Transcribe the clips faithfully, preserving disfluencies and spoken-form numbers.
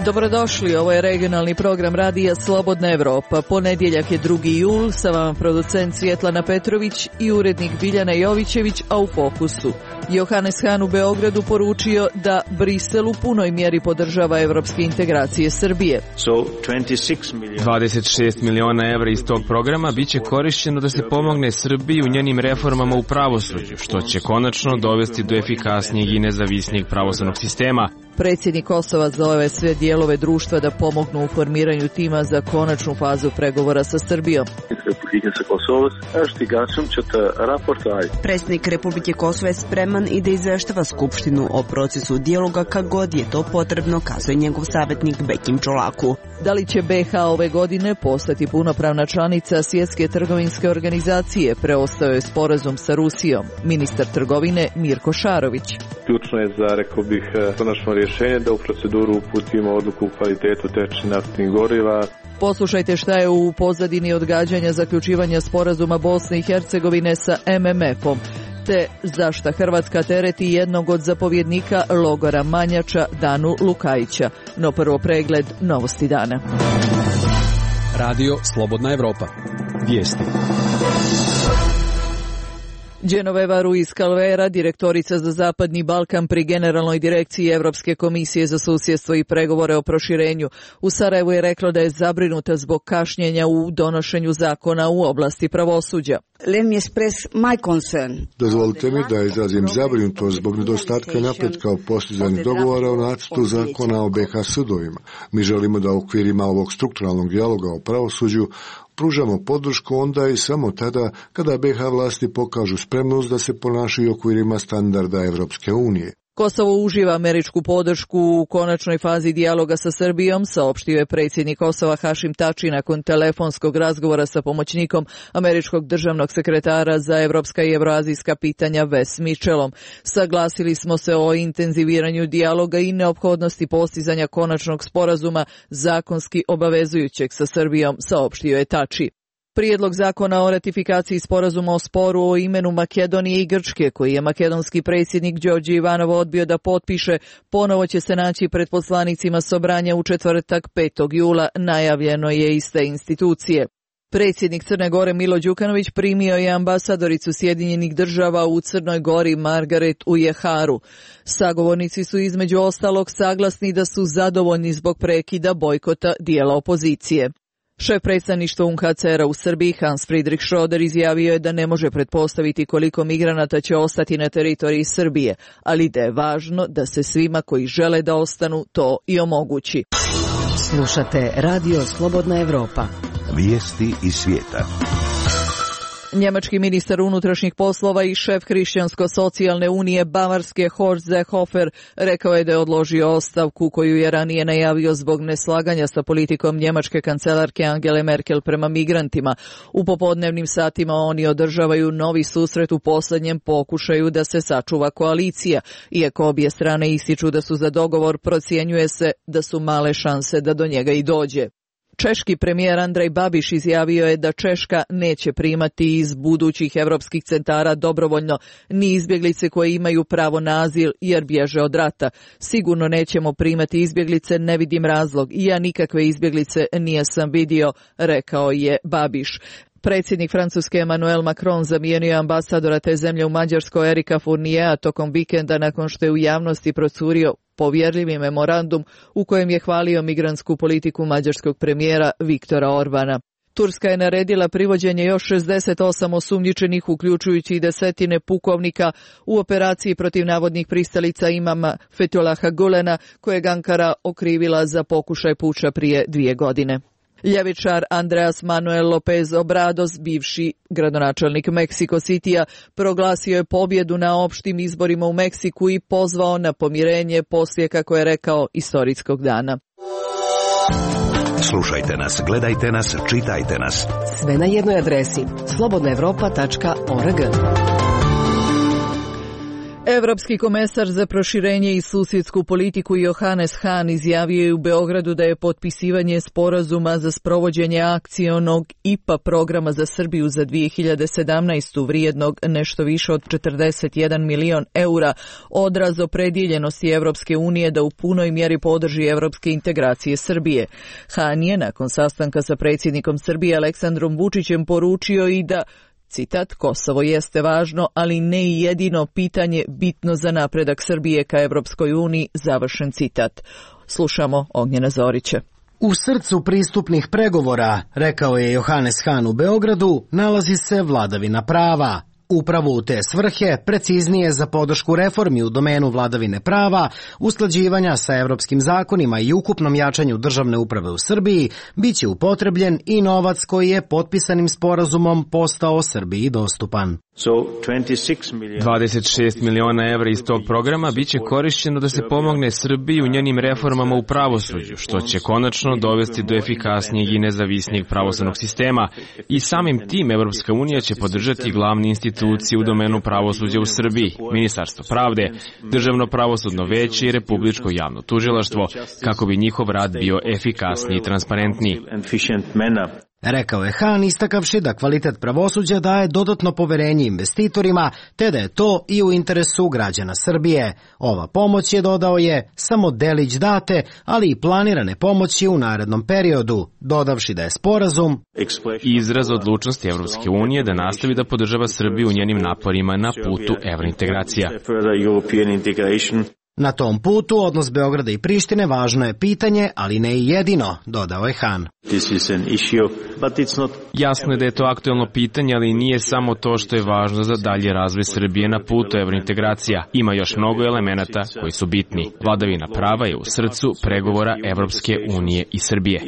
Dobrodošli, ovo je regionalni program radija Slobodna Evropa. Ponedjeljak je drugi jul, sa vama producent Svjetlana Petrović i urednik Biljana Jovićević, a u fokusu. Johannes Hahn u Beogradu poručio da Brisel u punoj mjeri podržava evropske integracije Srbije. dvadeset šest miliona evra iz tog programa biće korišćeno da se pomogne Srbiji u njenim reformama u pravosuđu, što će konačno dovesti do efikasnijeg i nezavisnijeg pravosudnog sistema. Predsjednik Kosova zove sve dijelove društva da pomognu u formiranju tima za konačnu fazu pregovora sa Srbijom. Predsjednik Republike Kosova je spreman i da izveštava Skupštinu o procesu dijaloga kad god je to potrebno, kazuje njegov savjetnik Bekim Čolaku. Da li će be ha ove godine postati punopravna članica Svjetske trgovinske organizacije? Preostao je sporazum sa Rusijom. Ministar trgovine Mirko Šarović. Ključno je za, rekao bih, konačno rješenje da u proceduru uputimo odluku u kvalitetu tečnih naftnih goriva. Poslušajte šta je u pozadini odgađanja zaključivanja sporazuma Bosne i Hercegovine sa em em efom, te zašta Hrvatska tereti jednog od zapovjednika logora Manjača, Danu Lukajića. No prvo pregled novosti dana. Radio Slobodna Evropa. Vijesti. Genoveva Ruiz Calvera, direktorica za Zapadni Balkan pri Generalnoj direkciji Evropske komisije za susjedstvo i pregovore o proširenju, u Sarajevu je rekla da je zabrinuta zbog kašnjenja u donošenju zakona u oblasti pravosuđa. Dozvolite mi da izrazim zabrinutost zbog nedostatka napretka u postizanju dogovora o nacrtu zakona o be ha sudovima. Mi želimo da u okvirima ovog strukturalnog dijaloga o pravosuđu pružamo podršku onda i samo tada kada be ha vlasti pokažu spremnost da se ponašaju u okvirima standarda Evropske unije. Kosovo uživa američku podršku u konačnoj fazi dijaloga sa Srbijom, saopštio je predsjednik Kosova Hašim Tači nakon telefonskog razgovora sa pomoćnikom američkog državnog sekretara za evropska i evroazijska pitanja Wes Mitchellom. Saglasili smo se o intenziviranju dijaloga i neophodnosti postizanja konačnog sporazuma zakonski obavezujućeg sa Srbijom, saopštio je Tači. Prijedlog zakona o ratifikaciji sporazuma o sporu o imenu Makedonije i Grčke, koji je makedonski predsjednik Đorđe Ivanov odbio da potpiše, ponovo će se naći pred poslanicima Sobranja u četvrtak petog jula, najavljeno je iz te institucije. Predsjednik Crne Gore Milo Đukanović primio je ambasadoricu Sjedinjenih država u Crnoj Gori Margaret Ujeharu. Sagovornici su između ostalog saglasni da su zadovoljni zbog prekida bojkota dijela opozicije. Šef predstavništva u en ha ce era u Srbiji Hans Friedrich Schröder izjavio je da ne može pretpostaviti koliko migranata će ostati na teritoriji Srbije, ali da je važno da se svima koji žele da ostanu to i omogući. Slušate Radio Slobodna Evropa. Vijesti iz svijeta. Njemački ministar unutrašnjih poslova i šef Hrišćansko-socijalne unije Bavarske Horst Seehofer rekao je da je odložio ostavku koju je ranije najavio zbog neslaganja sa politikom njemačke kancelarke Angele Merkel prema migrantima. U popodnevnim satima oni održavaju novi susret u posljednjem pokušaju da se sačuva koalicija. Iako obje strane ističu da su za dogovor, procjenjuje se da su male šanse da do njega i dođe. Češki premijer Andrej Babiš izjavio je da Češka neće primati iz budućih evropskih centara dobrovoljno ni izbjeglice koje imaju pravo na azil jer bježe od rata. Sigurno nećemo primati izbjeglice, ne vidim razlog. I ja nikakve izbjeglice nijesam vidio, rekao je Babiš. Predsjednik Francuske Emmanuel Macron zamijenio ambasadora te zemlje u Mađarskoj Erika Fourniera tokom vikenda nakon što je u javnosti procurio povjerljivi memorandum u kojem je hvalio migrantsku politiku mađarskog premijera Viktora Orbana. Turska je naredila privođenje još šezdeset osam osumnjičenih, uključujući i desetine pukovnika, u operaciji protiv navodnih pristalica imama Fethullaha Gulena, kojeg Ankara okrivila za pokušaj puča prije dvije godine. Ljevičar Andreas Manuel López Obrador, bivši gradonačelnik Meksiko Citya, proglasio je pobjedu na opštim izborima u Meksiku i pozvao na pomirenje poslije, kako je rekao, istorijskog dana. Slušajte nas, gledajte nas, čitajte nas. Sve na jednoj adresi slobodna evropa tačka org. Evropski komesar za proširenje i susjedsku politiku Johannes Hahn izjavio je u Beogradu da je potpisivanje sporazuma za sprovođenje akcionog I P A programa za Srbiju za dvije hiljade sedamnaestu vrijednog nešto više od četrdeset jedan milion eura odraz opredjeljenosti Evropske unije da u punoj mjeri podrži evropske integracije Srbije. Hahn je nakon sastanka sa predsjednikom Srbije Aleksandrom Vučićem poručio i da, citat, Kosovo jeste važno, ali ne i jedino pitanje bitno za napredak Srbije ka Evropskoj uniji, završen citat. Slušamo Ognjena Zorića. U srcu pristupnih pregovora, rekao je Johannes Hahn u Beogradu, nalazi se vladavina prava. Upravo u te svrhe, preciznije za podršku reformi u domenu vladavine prava, usklađivanja sa evropskim zakonima i ukupnom jačanju državne uprave u Srbiji, bit će upotrebljen i novac koji je potpisanim sporazumom postao Srbiji dostupan. dvadeset šest miliona evra iz tog programa biće korišćeno da se pomogne Srbiji u njenim reformama u pravosuđu, što će konačno dovesti do efikasnijeg i nezavisnijeg pravosudnog sistema i samim tim Evropska unija će podržati glavne institucije u domenu pravosuđa u Srbiji, Ministarstvo pravde, Državno pravosudno veće i Republičko javno tužilaštvo, kako bi njihov rad bio efikasniji i transparentniji. Rekao je Hahn, istakavši da kvalitet pravosuđa daje dodatno poverenje investitorima, te da je to i u interesu građana Srbije. Ova pomoć je, dodao je, samo delić date, ali i planirane pomoći u narednom periodu, dodavši da je sporazum izraz odlučnosti Evropske unije da nastavi da podržava Srbiju u njenim naporima na putu evrointegracija. Na tom putu odnos Beograda i Prištine važno je pitanje, ali ne i jedino, dodao je Hahn. Jasno je da je to aktuelno pitanje, ali nije samo to što je važno za dalji razvoj Srbije na putu evrointegracija. Ima još mnogo elemenata koji su bitni. Vladavina prava je u srcu pregovora Evropske unije i Srbije.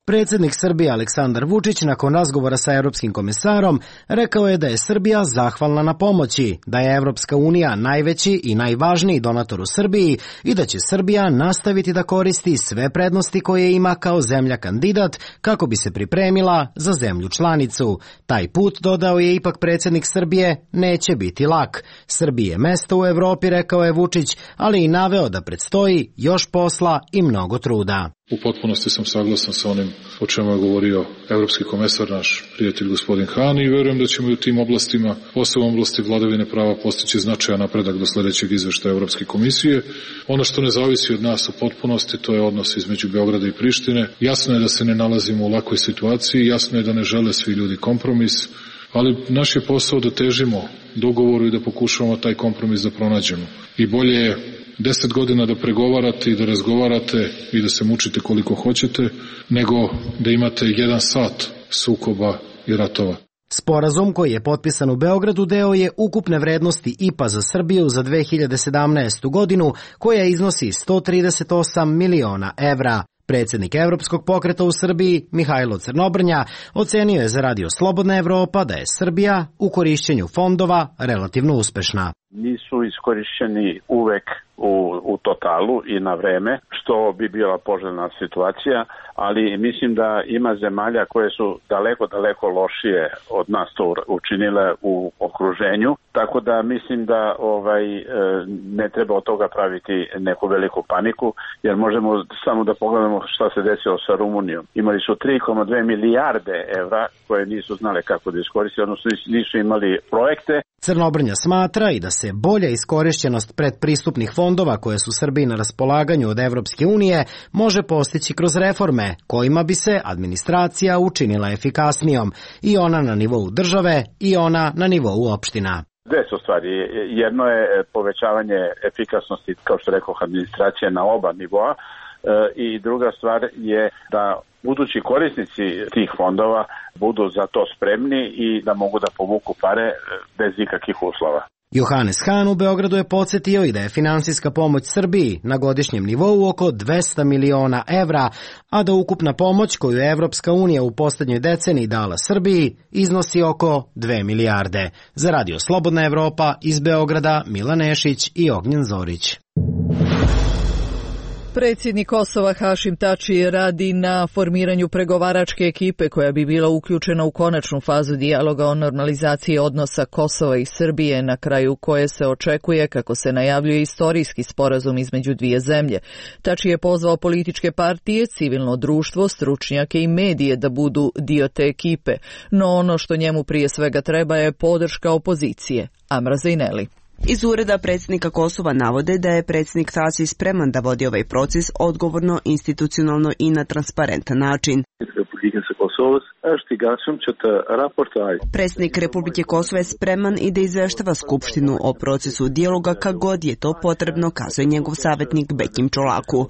Predsjednik Srbije Aleksandar Vučić nakon razgovora sa Europskim komesarom rekao je da je Srbija zahvalna na pomoći, da je Evropska unija najveći i najvažniji donator u Srbiji i da će Srbija nastaviti da koristi sve prednosti koje ima kao zemlja kandidat kako bi se pripremila za zemlju članicu. Taj put, dodao je ipak predsjednik Srbije, neće biti lak. Srbiji je mesto u Evropi, rekao je Vučić, ali i naveo da predstoji još posla i mnogo truda. U potpunosti sam saglasan sa onim o čemu je govorio evropski komesar, naš prijatelj gospodin Hahn, i verujem da ćemo i u tim oblastima, posebno oblasti vladavine prava, postići značajan napredak do sljedećeg izveštaja Evropske komisije. Ono što ne zavisi od nas u potpunosti, to je odnos između Beograda i Prištine. Jasno je da se ne nalazimo u lakoj situaciji, jasno je da ne žele svi ljudi kompromis, ali naš je posao da težimo dogovoru i da pokušavamo taj kompromis da pronađemo. I bolje je deset godina da pregovarate i da razgovarate i da se mučite koliko hoćete, nego da imate jedan sat sukoba i ratova. Sporazum koji je potpisan u Beogradu deo je ukupne vrednosti I P A za Srbiju za dve hiljade sedamnaestu godinu, koja iznosi sto trideset osam miliona evra. Predsjednik Evropskog pokreta u Srbiji, Mihajlo Crnobrnja, ocenio je za Radio Slobodna Evropa da je Srbija u korišćenju fondova relativno uspešna. Nisu iskorišćeni uvek u, u totalu i na vreme, što bi bila poželjna situacija, ali mislim da ima zemalja koje su daleko, daleko lošije od nas to učinile u okruženju, tako da mislim da ovaj ne treba od toga praviti neku veliku paniku, jer možemo samo da pogledamo šta se desilo sa Rumunijom. Imali su tri zarez dve milijarde evra koje nisu znale kako da iskoriste, odnosno nisu imali projekte. Crnobrnja smatra i da se bolja iskorišćenost predpristupnih fondova koje su Srbiji na raspolaganju od Evropske unije može postići kroz reforme kojima bi se administracija učinila efikasnijom, i ona na nivou države i ona na nivou opština. Dve su stvari. Jedno je povećavanje efikasnosti, kao što rekao, administracije na oba nivoa, i druga stvar je da budući korisnici tih fondova budu za to spremni i da mogu da povuku pare bez ikakvih uslova. Johannes Hahn u Beogradu je podsjetio i da je finansijska pomoć Srbiji na godišnjem nivou oko dvesta miliona evra, a da ukupna pomoć koju je Evropska unija u posljednjoj deceniji dala Srbiji iznosi oko dve milijarde. Za Radio Slobodna Evropa iz Beograda, Milan Nešić i Ognjen Zorić. Predsjednik Kosova Hašim Tači radi na formiranju pregovaračke ekipe koja bi bila uključena u konačnu fazu dijaloga o normalizaciji odnosa Kosova i Srbije, na kraju koje se očekuje, kako se najavljuje, istorijski sporazum između dvije zemlje. Tači je pozvao političke partije, civilno društvo, stručnjake i medije da budu dio te ekipe, no ono što njemu prije svega treba je podrška opozicije. Amra Zejneli. Iz ureda predsjednika Kosova navode da je predsjednik Tači spreman da vodi ovaj proces odgovorno, institucionalno i na transparentan način. Predsjednik Republike Kosova je spreman i da izveštava Skupštinu o procesu dijaloga kad god je to potrebno, kazuje njegov savjetnik Bekim Čolaku.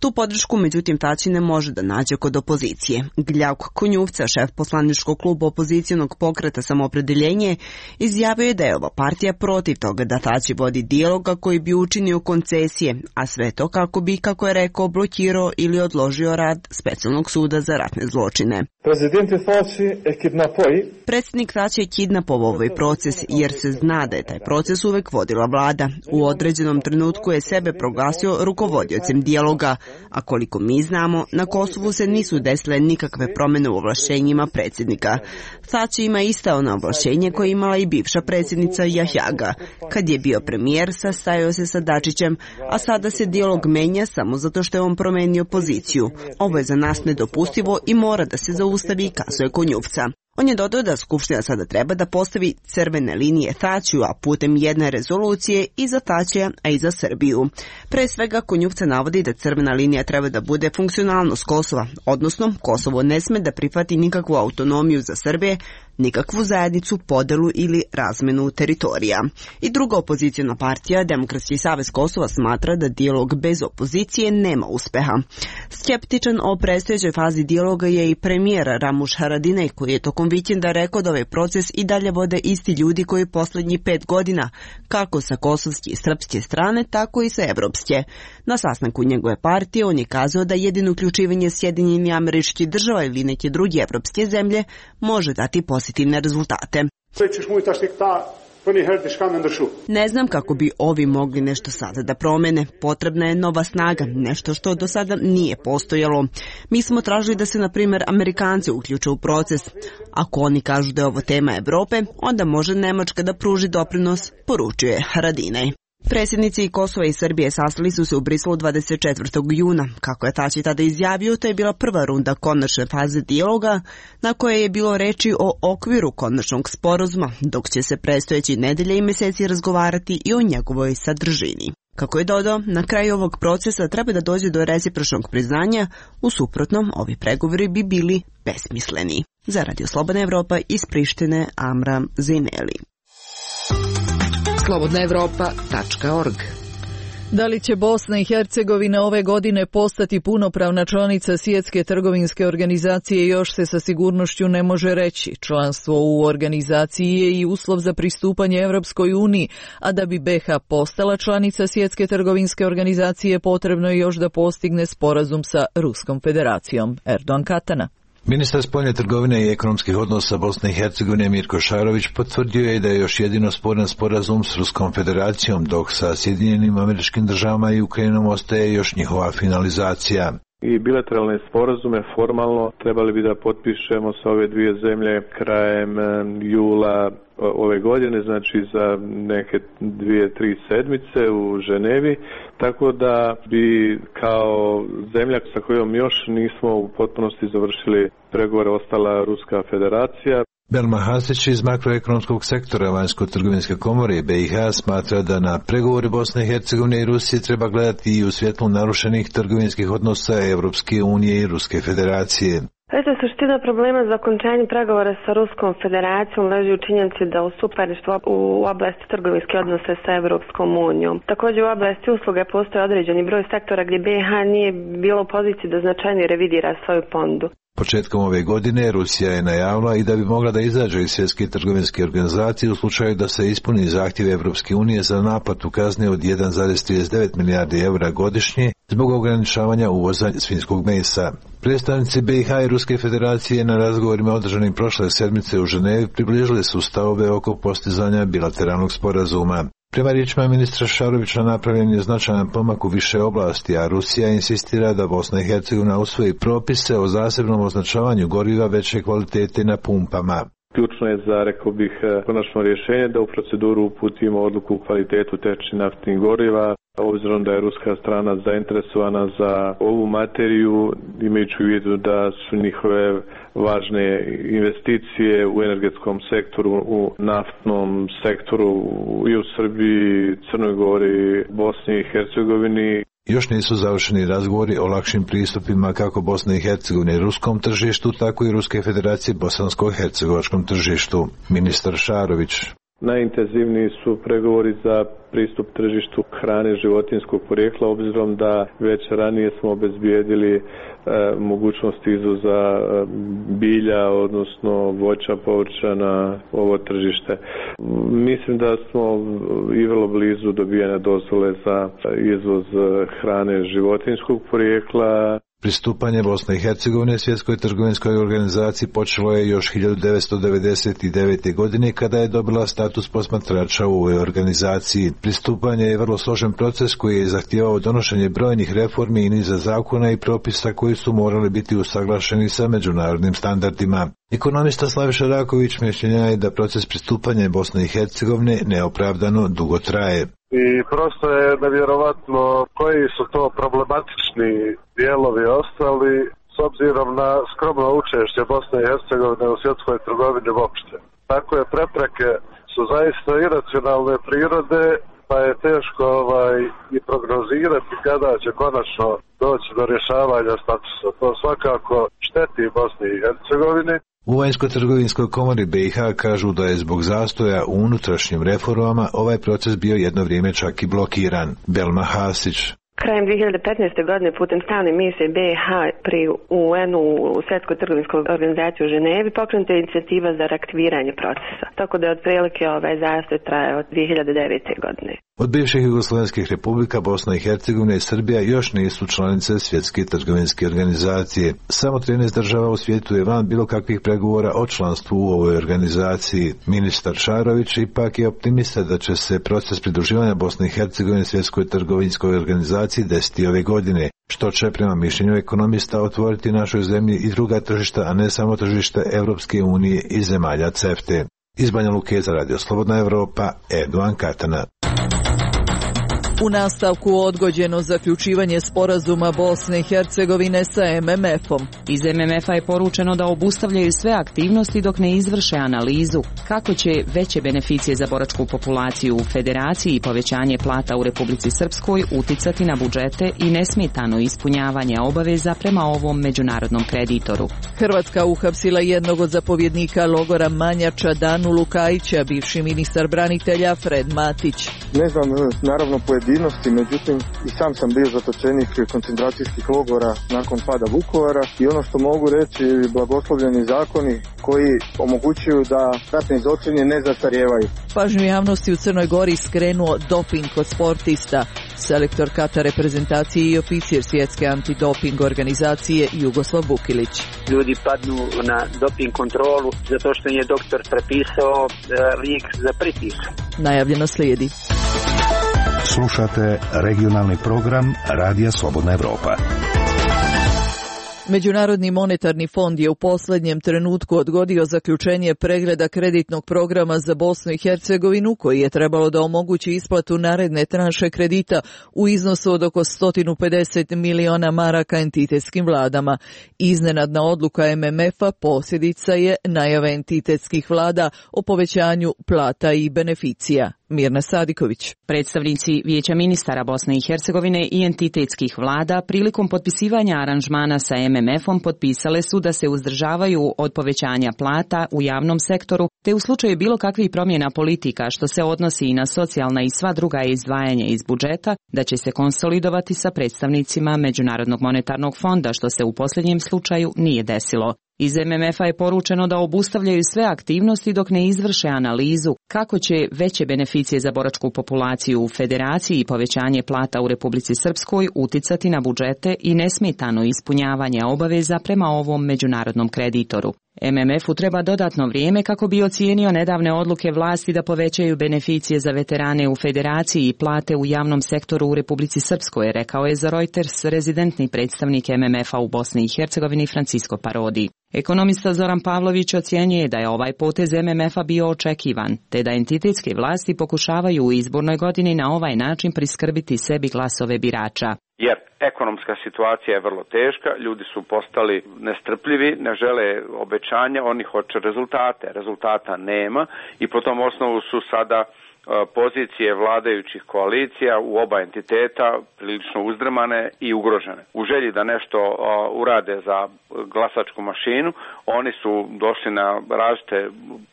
Tu podršku, međutim, Tači ne može da nađe kod opozicije. Gljavk Konjuvca, šef poslaničkog kluba opozicijonog pokreta Samoopredeljenje, izjavio je da je ova partija protiv toga da Tači vodi dijaloga koji bi učinio koncesije, a sve to kako bi, kako je rekao, blokirao ili odložio rad Specijalnog suda za ratne zločine. Predsjednik Tači je kidnapovao ovaj proces jer se zna da je taj proces uvek vodila vlada. U određenom trenutku je sebe proglasio rukovodiocem dijaloga, a koliko mi znamo, na Kosovu se nisu desile nikakve promjene u ovlašćenjima predsjednika. Tači ima ista ona ovlašćenje koje imala i bivša predsjednica Jahjaga. Kad je bio premijer, sastajao se sa Dačićem, a sada se dijalog menja samo zato što je on promenio poziciju. Ovo je za nas nedopustivo i mora da se zaustavi, kazuje Konjuvca. On je dodao da Skupština sada treba da postavi crvene linije Tačiju, a putem jedne rezolucije i za Tačija, a i za Srbiju. Pre svega, Konjuvca navodi da crvena linija treba da bude funkcionalnost Kosova, odnosno Kosovo ne sme da prihvati nikakvu autonomiju za Srbije, nikakvu zajednicu, podelu ili razmenu teritorija. I druga opozicijna partija, Demokratski savez Kosova, smatra da dijalog bez opozicije nema uspeha. Skeptičan o predstojećoj fazi dijaloga je i premijer Ramuš Haradinaj, koji je tokom vikenda rekao da ovaj proces i dalje vode isti ljudi koji poslednjih pet godina, kako sa kosovske i srpske strane, tako i sa evropske. Na sastanku njegove partije on je kazao da jedino uključivanje Sjedinjenih Američkih Država ili neke druge evropske zemlje može dati pozitivne rezultate. Ne znam kako bi ovi mogli nešto sada da promene. Potrebna je nova snaga, nešto što do sada nije postojalo. Mi smo tražili da se, na primjer, Amerikanci uključe u proces. Ako oni kažu da je ovo tema Evrope, onda može Nemačka da pruži doprinos, poručuje Haradinaj. Predsjednici Kosova i Srbije sastali su se u Briselu dvadeset četvrtog juna. Kako je Tači tada izjavio, to je bila prva runda konačne faze dijaloga, na kojoj je bilo reči o okviru konačnog sporazuma, dok će se predstojeći nedelje i meseci razgovarati i o njegovoj sadržini. Kako je dodao, na kraju ovog procesa treba da dođe do recipročnog priznanja, u suprotnom ovi pregovori bi bili besmisleni. Za Radio Slobodna Evropa iz Prištine, Amra Zejneli. slobodna evropa tačka org. Da li će Bosna i Hercegovina ove godine postati punopravna članica Svjetske trgovinske organizacije još se sa sigurnošću ne može reći. Članstvo u organizaciji je i uslov za pristupanje Evropskoj uniji, a da bi be ha postala članica Svjetske trgovinske organizacije potrebno je još da postigne sporazum sa Ruskom federacijom. Erdogan Katana. Ministar spoljne trgovine i ekonomskih odnosa Bosne i Hercegovine Mirko Šarović potvrdio je da je još jedino sporan sporazum s Ruskom federacijom, dok sa Sjedinjenim Američkim Državama i Ukrajinom ostaje još njihova finalizacija. I bilateralne sporazume formalno trebali bi da potpišemo sa ove dvije zemlje krajem jula ove godine, znači za neke dvije, tri sedmice u Ženevi, tako da bi kao zemlja sa kojom još nismo u potpunosti završili pregovore ostala Ruska federacija. Belma Hasić iz makroekonomskog sektora Vanjsko-trgovinske komore be i ha smatra da na pregovori Bosne i Hercegovine i Rusije treba gledati i u svjetlu narušenih trgovinskih odnosa Evropske unije i Ruske federacije. Eto, suština problema za okončanje pregovora sa Ruskom federacijom leži u činjenici da u suparništvu u oblasti trgovinske odnose sa Evropskom unijom. Također u oblasti usluge postoji određeni broj sektora gdje be ha nije bilo u poziciji da značajnije revidira svoju ponudu. Početkom ove godine Rusija je najavila i da bi mogla da izađe iz Svjetske trgovinske organizacije u slučaju da se ispuni zahtjev Evropske unije za naplatu kazne od jedan zarez trideset devet milijardi eura godišnje zbog ograničavanja uvoza svinjskog mesa. Predstavnici be i ha i Ruske federacije na razgovorima održanim prošle sedmice u Ženevi približili su stavove oko postizanja bilateralnog sporazuma. Prema riječima ministra Šarovića napravljen je značajan pomak u više oblasti, a Rusija insistira da Bosna i Hercegovina usvoji propise o zasebnom označavanju goriva veće kvalitete na pumpama. Ključno je za, rekao bih, konačno rješenje da u proceduru uputimo odluku u kvalitetu tečnih naftnih goriva, obzirom da je ruska strana zainteresovana za ovu materiju, imajući u vidu da su njihove važne investicije u energetskom sektoru, u naftnom sektoru i u Srbiji, Crnoj Gori, Bosni i Hercegovini. Još nisu završeni razgovori o lakšim pristupima kako Bosne i Hercegovine ruskom tržištu, tako i Ruske federacije bosansko-hercegovačkom tržištu. Ministar Šarović. Najintenzivniji su pregovori za pristup tržištu hrane životinjskog porijekla, obzirom da već ranije smo obezbijedili e, mogućnost izvoza e, bilja, odnosno voća, povrća na ovo tržište. Mislim da smo i vrlo blizu dobijanja dozvole za izvoz hrane životinjskog porijekla. Pristupanje Bosne i Hercegovine Svjetskoj trgovinskoj organizaciji počelo je još hiljadu devetsto devedeset devete. godine kada je dobila status posmatrača u ovoj organizaciji. Pristupanje je vrlo složen proces koji je zahtijevao donošenje brojnih reformi i niza zakona i propisa koji su morali biti usaglašeni sa međunarodnim standardima. Ekonomista Slaviša Raković mišljenja je da proces pristupanja Bosne i Hercegovine neopravdano dugo traje. I prosto je nevjerovatno koji su to problematični dijelovi ostali s obzirom na skromno učešće Bosne i Hercegovine u svjetskoj trgovini uopšte. Takve prepreke su zaista iracionalne prirode, pa je teško ovaj, i prognozirati kada će konačno doći do rješavanja statusa. To svakako šteti Bosni i Hercegovini. U Vanjsko-trgovinskoj komori be i ha kažu da je zbog zastoja u unutrašnjim reformama ovaj proces bio jedno vrijeme čak i blokiran. Belma Hasić. Krajem dvije hiljade petnaeste. godine putem stalne misije be i ha pri u en-u u Svjetskoj trgovinskoj organizaciji u Ženevi pokrenuta je inicijativa za reaktiviranje procesa. Tako da je otprilike ovaj zastoj traje od dvije hiljade devete. godine. Od bivših jugoslovenskih republika Bosna i Hercegovina i Srbija još nisu članice Svjetske trgovinske organizacije. Samo trinaest država u svijetu je van bilo kakvih pregovora o članstvu u ovoj organizaciji. Ministar Šarović ipak je optimista da će se proces pridruživanja Bosne i Hercegovine Svjetskoj trgovinskoj organizaciji desiti ove godine, što će prema mišljenju ekonomista otvoriti našoj zemlji i druga tržišta, a ne samo tržište Europske unije i zemalja CEFTE. Iz Banja Luke za Radio Slobodna Evropa, Eduan Katana. U nastavku odgođeno zaključivanje sporazuma Bosne i Hercegovine sa em em efom. Iz em em efa je poručeno da obustavljaju sve aktivnosti dok ne izvrše analizu kako će veće beneficije za boračku populaciju u Federaciji i povećanje plata u Republici Srpskoj uticati na budžete i nesmetano ispunjavanje obaveza prema ovom međunarodnom kreditoru. Hrvatska uhapsila jednog od zapovjednika logora Manjača, Danu Lukajića, bivši ministar branitelja Fred Matić. Ne znam, naravno pojedinosti, međutim i sam sam bio zatočenik koncentracijskih logora nakon pada Vukovara i ono što mogu reći, blagoslovljeni zakoni koji omogućuju da ratni zločini ne zastarijevaju. Pažnju javnosti u Crnoj Gori skrenuo doping kod sportista. Selektor kata reprezentacije i oficir svjetske antidoping organizacije Jugoslav Vukilić. Ljudi padnu na doping kontrolu zato što je doktor prepisao lijek za pritisak. Najavljeno slijedi. Slušate regionalni program Radija Slobodna Evropa. Međunarodni monetarni fond je u posljednjem trenutku odgodio zaključenje pregleda kreditnog programa za Bosnu i Hercegovinu koji je trebalo da omogući isplatu naredne tranše kredita u iznosu od oko sto pedeset miliona maraka entitetskim vladama. Iznenadna odluka em em efa posljedica je najave entitetskih vlada o povećanju plata i beneficija. Mirna Sadiković. Predstavnici Vijeća ministara Bosne i Hercegovine i entitetskih vlada prilikom potpisivanja aranžmana sa em em efom potpisale su da se uzdržavaju od povećanja plata u javnom sektoru, te u slučaju bilo kakvih promjena politika što se odnosi i na socijalna i sva druga izdvajanja iz budžeta, da će se konsolidovati sa predstavnicima Međunarodnog monetarnog fonda, što se u posljednjem slučaju nije desilo. Iz em em efa je poručeno da obustavljaju sve aktivnosti dok ne izvrše analizu kako će veće beneficije za boračku populaciju u Federaciji i povećanje plata u Republici Srpskoj uticati na budžete i nesmetano ispunjavanje obaveza prema ovom međunarodnom kreditoru. M M F-u treba dodatno vrijeme kako bi ocijenio nedavne odluke vlasti da povećaju beneficije za veterane u Federaciji i plate u javnom sektoru u Republici Srpskoj, rekao je za Reuters rezidentni predstavnik M M F-a u Bosni i Hercegovini Francisco Parodi. Ekonomista Zoran Pavlović ocjenjuje da je ovaj potez M M F-a bio očekivan, te da entitetske vlasti pokušavaju u izbornoj godini na ovaj način priskrbiti sebi glasove birača. Jer ekonomska situacija je vrlo teška, ljudi su postali nestrpljivi, ne žele obećanja, oni hoće rezultate. Rezultata nema i po tom osnovu su sada pozicije vladajućih koalicija u oba entiteta prilično uzdrmane i ugrožene. U želji da nešto urade za glasačku mašinu, oni su došli na različite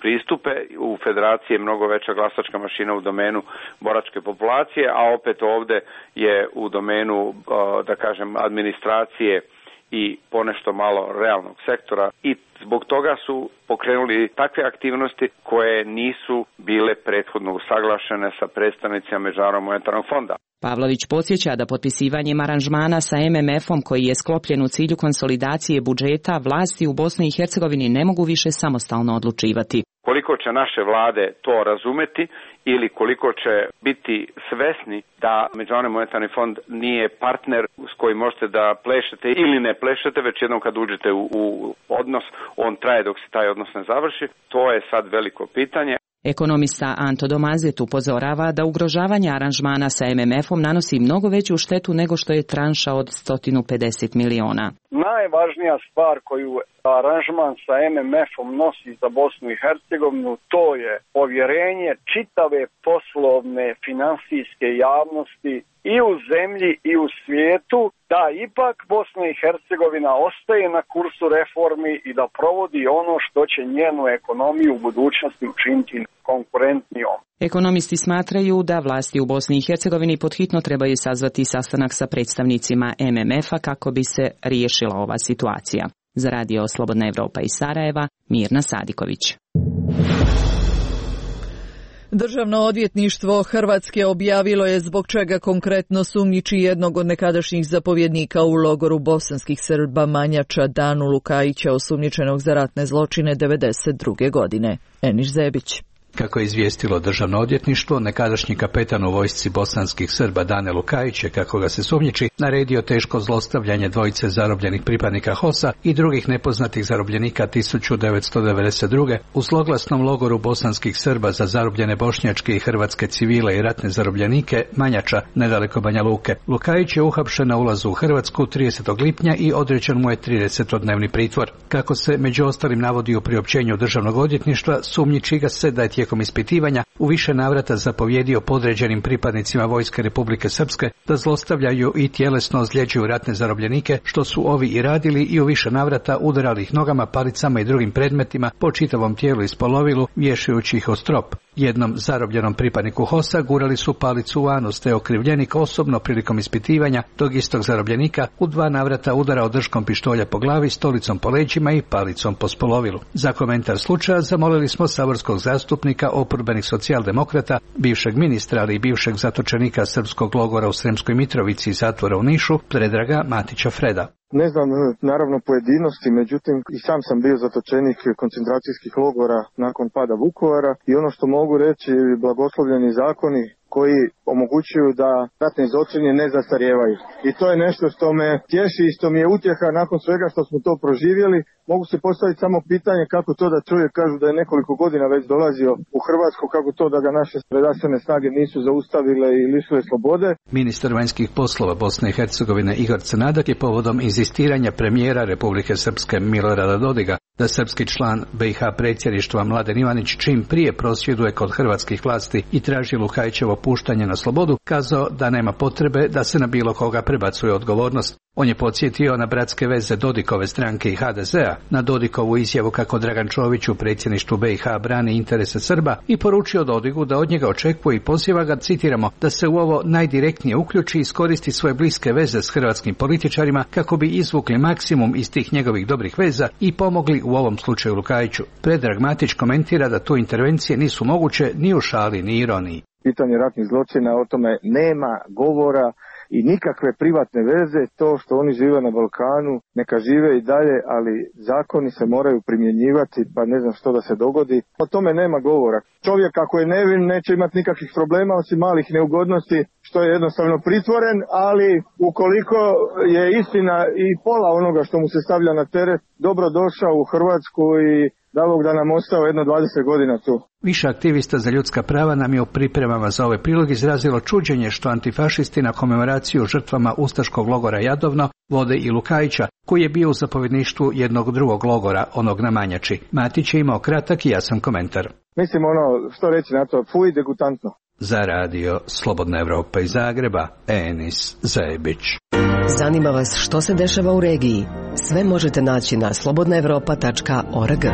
pristupe. U Federaciji je mnogo veća glasačka mašina u domenu boračke populacije, a opet ovde je u domenu, da kažem, administracije i ponešto malo realnog sektora i zbog toga su pokrenuli takve aktivnosti koje nisu bile prethodno usaglašene sa predstavnicima Međunarodnog monetarnog fonda. Pavlović podsjeća da potpisivanjem aranžmana sa M M F-om koji je sklopljen u cilju konsolidacije budžeta, vlasti u Bosni i Hercegovini ne mogu više samostalno odlučivati. Koliko će naše vlade to razumeti ili koliko će biti svesni da Međunarodni monetarni fond nije partner s kojim možete da plešete ili ne plešete, već jednom kad uđete u, u odnos, on traje dok se taj odnos ne završi, to je sad veliko pitanje. Ekonomista Anto Domazet upozorava da ugrožavanje aranžmana sa M M F-om nanosi mnogo veću štetu nego što je tranša od sto pedeset miliona. Najvažnija stvar koju aranžman sa M M F-om nosi za Bosnu i Hercegovinu, to je povjerenje čitave poslovne finansijske javnosti i u zemlji i u svijetu, da ipak Bosna i Hercegovina ostaje na kursu reformi i da provodi ono što će njenu ekonomiju u budućnosti učiniti konkurentnijom. Ekonomisti smatraju da vlasti u Bosni i Hercegovini podhitno trebaju sazvati sastanak sa predstavnicima M M F-a kako bi se riješila ova situacija. Za Radio Slobodna Evropa iz Sarajeva, Mirna Sadiković. Državno odvjetništvo Hrvatske objavilo je zbog čega konkretno sumnjiči jednog od nekadašnjih zapovjednika u logoru bosanskih Srba Manjača Danu Lukajića, osumnjičenog za ratne zločine devedeset druge godine. Eniš Zebić. Kako je izvijestilo državno odvjetništvo, nekadašnji kapetan u vojsci bosanskih Srba Dane Lukajić je, kako ga se sumnjiči, naredio teško zlostavljanje dvojice zarobljenih pripadnika HOS-a i drugih nepoznatih zarobljenika tisuću devetsto devedeset druge u zloglasnom logoru bosanskih Srba za zarobljene bošnjačke i hrvatske civile i ratne zarobljenike Manjača, nedaleko Banja Luke. Lukajić je uhapšen na ulazu u Hrvatsku tridesetog lipnja i određen mu je tridesetodnevni pritvor. Kako se među ostalim navodi u priopćenju državnog odvjetništva, sumnjiči ga se da je tijekom ispitivanja u više navrata zapovjedio podređenim pripadnicima Vojske Republike Srpske da zlostavljaju i tjelesno ozljeđuju ratne zarobljenike, što su ovi i radili, i u više navrata udarali ih nogama, palicama i drugim predmetima po čitavom tijelu i spolovilu, vješajući ih o strop. Jednom zarobljenom pripadniku HOS-a gurali su palicu u anus, te okrivljenik osobno prilikom ispitivanja tog istog zarobljenika u dva navrata udarao držkom pištolja po glavi, stolicom po leđima i palicom po spolovilu. Za komentar slučaja zamolili smo saborskog zastupnika oporbenih socijaldemokrata, bivšeg ministra, ali i bivšeg zatočenika srpskog logora u Sremskoj Mitrovici i zatvora u Nišu, Predraga Matića Freda. Ne znam naravno pojedinosti, međutim i sam sam bio zatočenik koncentracijskih logora nakon pada Vukovara i ono što mogu reći, blagoslovljeni zakoni koji omogućuju da ratni zločini ne zastarijevaju. I to je nešto što me tješi i što mi je utjeha nakon svega što smo to proživjeli. Mogu se postaviti samo pitanje kako to da čovjek, kažu da je nekoliko godina već dolazio u Hrvatsku, kako to da ga naše redarstvene snage nisu zaustavile i lišile slobode. Ministar vanjskih poslova Bosne i Hercegovine Igor Crnadak je povodom inzistiranja premijera Republike Srpske Milorada Dodiga da srpski član B i H predsjedništva Mladen Ivanić čim prije prosvjeduje kod hrvatskih vlasti i traži Lukajićevo puštanje na slobodu, kazao da nema potrebe da se na bilo koga prebacuje odgovornost. On je podsjetio na bratske veze Dodikove stranke i H D Z-a, na Dodikovu izjavu kako Dragan Čović u predsjedništvu B i H brani interese Srba i poručio Dodigu da od njega očekuje i poziva ga, citiramo, da se u ovo najdirektnije uključi i iskoristi svoje bliske veze s hrvatskim političarima kako bi izvukli maksimum iz tih njegovih dobrih veza i pomogli u ovom slučaju Lukajiću. Predrag Matić komentira da tu intervencije nisu moguće ni u šali ni ironiji. Pitanje ratnih zločina, o tome nema govora i nikakve privatne veze. To što oni žive na Balkanu, neka žive i dalje, ali zakoni se moraju primjenjivati, pa ne znam što da se dogodi. O tome nema govora. Čovjek ako je nevin neće imati nikakvih problema osim malih neugodnosti, što je jednostavno pritvoren, ali ukoliko je istina i pola onoga što mu se stavlja na teret, dobro došao u Hrvatsku i da Bog da nam ostao jedno dvadeset godina tu. Više aktivista za ljudska prava nam je u pripremama za ovaj prilog izrazilo čuđenje što antifašisti na komemoraciju žrtvama ustaškog logora Jadovno vode i Lukajića, koji je bio u zapovjedništvu jednog drugog logora, onog na Manjači. Matić je imao kratak i jasan komentar. Mislim ono, što reći na to, fuj, degutantno. Za radio Slobodna Evropa iz Zagreba, Enis Zajebić. Zanima vas što se dešava u regiji? Sve možete naći na slobodna evropa tačka org.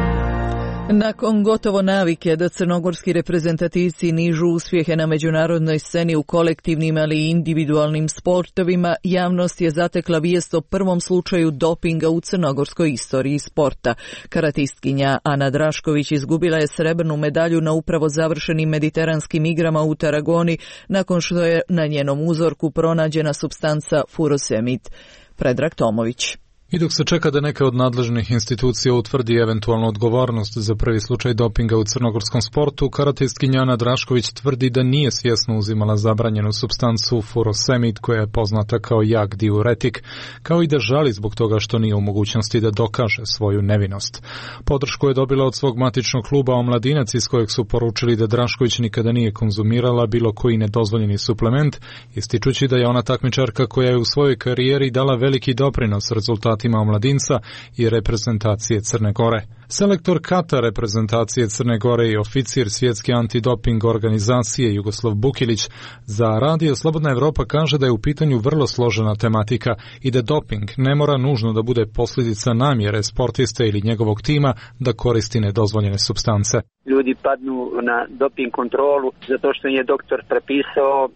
Nakon gotovo navike da crnogorski reprezentativci nižu uspjehe na međunarodnoj sceni u kolektivnim ali i individualnim sportovima, javnost je zatekla vijest o prvom slučaju dopinga u crnogorskoj istoriji sporta. Karatistkinja Ana Drašković izgubila je srebrnu medalju na upravo završenim mediteranskim igrama u Tarragoni nakon što je na njenom uzorku pronađena supstanca furosemid. Predrag Tomović. I dok se čeka da neka od nadležnih institucija utvrdi eventualnu odgovornost za prvi slučaj dopinga u crnogorskom sportu, karatistkinja Ana Drašković tvrdi da nije svjesno uzimala zabranjenu supstancu furosemid koja je poznata kao jak diuretik, kao i da žali zbog toga što nije u mogućnosti da dokaže svoju nevinost. Podršku je dobila od svog matičnog kluba Omladinac iz kojeg su poručili da Drašković nikada nije konzumirala bilo koji nedozvoljeni suplement, ističući da je ona takmičarka koja je u svojoj karijeri dala veliki doprinos rezultatima Omladinca i reprezentacije Crne Gore. Selektor Kata reprezentacije Crne Gore i oficir svjetske antidoping organizacije Jugoslav Bukilić za radio Slobodna Evropa kaže da je u pitanju vrlo složena tematika i da doping ne mora nužno da bude posljedica namjere sportiste ili njegovog tima da koristi nedozvoljene supstance. Ljudi padnu na doping kontrolu zato što je doktor prepisao e,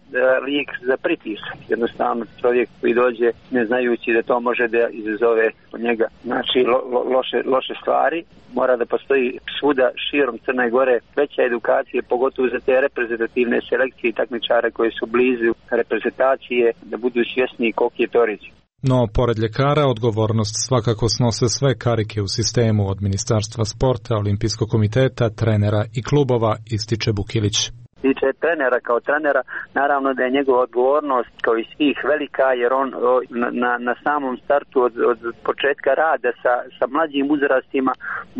lijek za pritisak. Jednostavno čovjek koji dođe ne znajući da to može da izazove od njega znači lo, lo, loše, loše stvari. Mora da postoji svuda širom Crne Gore veća edukacija, pogotovo za te reprezentativne selekcije i takmičare koji su blizu reprezentacije, da budu svjesni koliki je to rizik. No, pored ljekara, odgovornost svakako snose sve karike u sistemu od Ministarstva sporta, Olimpijskog komiteta, trenera i klubova, ističe Bukilić. Tiče trenera kao trenera, naravno da je njegova odgovornost kao i svih velika, jer on na, na samom startu od, od početka rada sa, sa mlađim uzrastima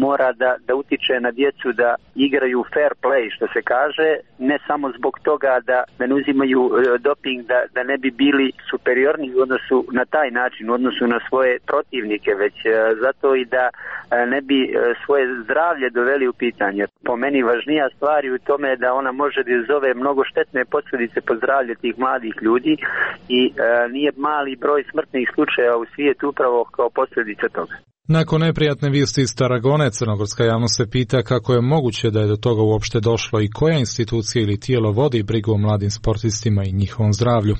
mora da, da utiče na djecu da igraju fair play, što se kaže, ne samo zbog toga da, da ne uzimaju doping, da, da ne bi bili superiorni u odnosu na taj način, u odnosu na svoje protivnike, već zato i da ne bi svoje zdravlje doveli u pitanje. Po meni važnija stvar je u tome da ona može da izazove mnogo štetne posljedice po zdravlje tih mladih ljudi i e, nije mali broj smrtnih slučajeva u svijetu upravo kao posljedica toga. Nakon neprijatne vijesti iz Tarragone, crnogorska javnost se pita kako je moguće da je do toga uopšte došlo i koja institucija ili tijelo vodi brigu o mladim sportistima i njihovom zdravlju.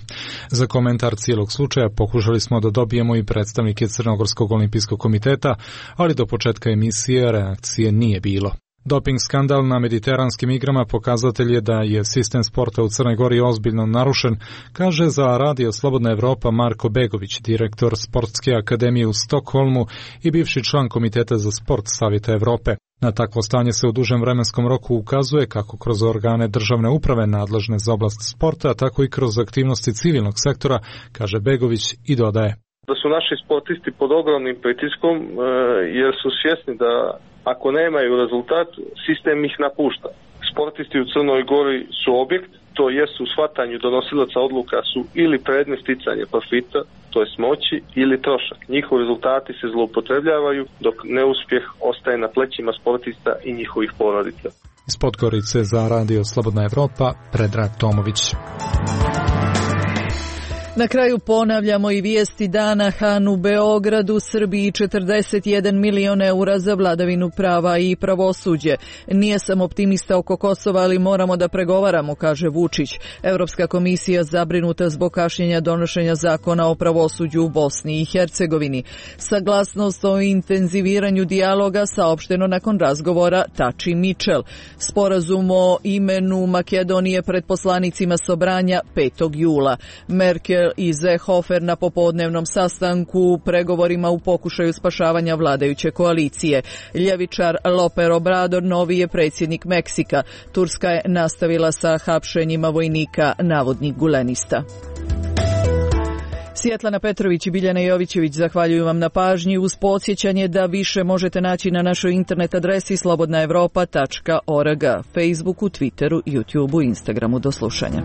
Za komentar cijelog slučaja pokušali smo da dobijemo i predstavnike Crnogorskog olimpijskog komiteta, ali do početka emisije reakcije nije bilo. Doping skandal na mediteranskim igrama pokazatelj je da je sistem sporta u Crnoj Gori ozbiljno narušen, kaže za radio Slobodna Evropa Marko Begović, direktor Sportske akademije u Stokholmu i bivši član Komiteta za sport Savjeta Evrope. Na takvo stanje se u dužem vremenskom roku ukazuje kako kroz organe državne uprave nadležne za oblast sporta, tako i kroz aktivnosti civilnog sektora, kaže Begović i dodaje. Da su naši sportisti pod ogromnim pritiskom jer su svjesni da ako nemaju rezultat, sistem ih napušta. Sportisti u Crnoj Gori su objekt, to jest u shvatanju donosilaca odluka su ili predmet sticanja profita, to jest moći, ili trošak. Njihovi rezultati se zloupotrebljavaju, dok neuspjeh ostaje na plećima sportista i njihovih porodica. Iz Podgorice za radio Slobodna Evropa, Predrag Tomović. Na kraju ponavljamo i vijesti dana. Han u Beogradu, Srbiji četrdeset jedan milion eura za vladavinu prava i pravosuđe. Nije sam optimista oko Kosova, ali moramo da pregovaramo, kaže Vučić. Europska komisija zabrinuta zbog kašnjenja donošenja zakona o pravosuđu u Bosni i Hercegovini. Saglasnost o intenziviranju dijaloga saopšteno nakon razgovora Tači Mičel. Sporazum o imenu Makedonije pred poslanicima Sobranja petog jula. Merkel Borel i Seehofer na popodnevnom sastanku u pregovorima u pokušaju spašavanja vladajuće koalicije. Ljevičar López Obrador novi je predsjednik Meksika. Turska je nastavila sa hapšenjima vojnika navodnih gulenista. Sjetlana Petrović i Biljana Jovićević zahvaljuju vam na pažnji uz podsjećanje da više možete naći na našoj internet adresi slobodna evropa tačka org, Facebooku, Twitteru, YouTubeu, Instagramu. Do slušanja.